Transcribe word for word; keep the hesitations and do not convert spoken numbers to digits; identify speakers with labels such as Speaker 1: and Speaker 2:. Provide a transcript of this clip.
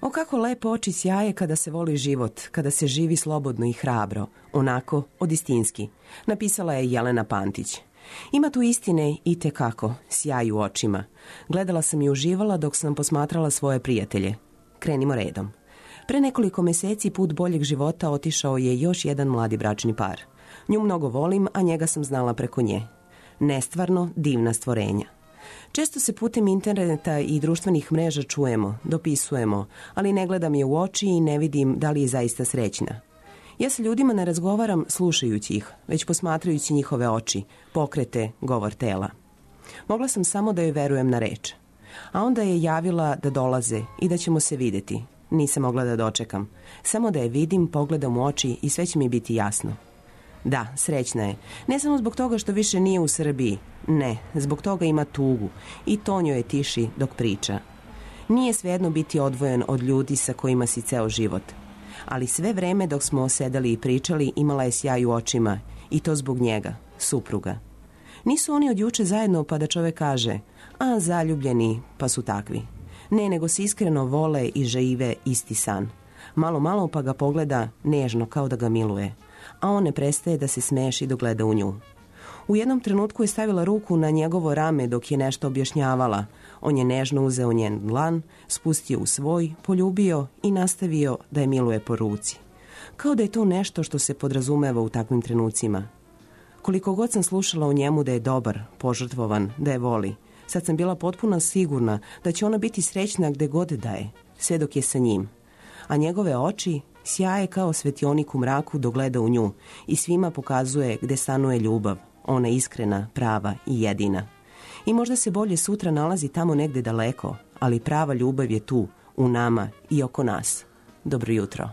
Speaker 1: O kako lepo oči sjaje kada se voli život, kada se živi slobodno i hrabro, onako od istinski, napisala je Jelena Pantić. Ima tu istine i te kako, sjaj u očima. Gledala sam i uživala dok sam posmatrala svoje prijatelje. Krenimo redom. Pre nekoliko meseci put boljeg života otišao je još jedan mladi bračni par. Nju mnogo volim, a njega sam znala preko nje. Nestvarno divna stvorenja. Često se putem interneta i društvenih mreža čujemo, dopisujemo, ali ne gledam je u oči i ne vidim da li je zaista srećna. Ja sa ljudima ne razgovaram slušajući ih, već posmatrajući njihove oči, pokrete, govor tela. Mogla sam samo da joj verujem na reč. A onda je javila da dolaze i da ćemo se videti. Nisam mogla da dočekam. Samo da je vidim, pogledam u oči i sve će mi biti jasno. Da, srećna je. Ne samo zbog toga što više nije u Srbiji. Ne, zbog toga ima tugu i to njoj je tiši dok priča. Nije svejedno biti odvojen od ljudi sa kojima si ceo život. Ali sve vreme dok smo sedeli i pričali imala je sjaj u očima i to zbog njega, supruga. Nisu oni od juče zajedno pa da čovek kaže, a zaljubljeni pa su takvi. Ne, nego se iskreno vole i žive isti san. Malo, malo pa ga pogleda nežno kao da ga miluje, a on ne prestaje da se smeši dok gleda u nju. U jednom trenutku je stavila ruku na njegovo rame dok je nešto objašnjavala. On je nežno uzeo njen dlan, spustio u svoj, poljubio i nastavio da je miluje po ruci. Kao da je to nešto što se podrazumeva u takvim trenucima. Koliko god sam slušala o njemu da je dobar, požrtvovan, da je voli, sad sam bila potpuno sigurna da će ona biti srećna gde god da je, sve dok je sa njim. A njegove oči sjaje kao svetionik u mraku dok gleda u nju i svima pokazuje gde stanuje ljubav, ona iskrena, prava i jedina. I možda se bolje sutra nalazi tamo negde daleko, ali prava ljubav je tu, u nama i oko nas. Dobro jutro.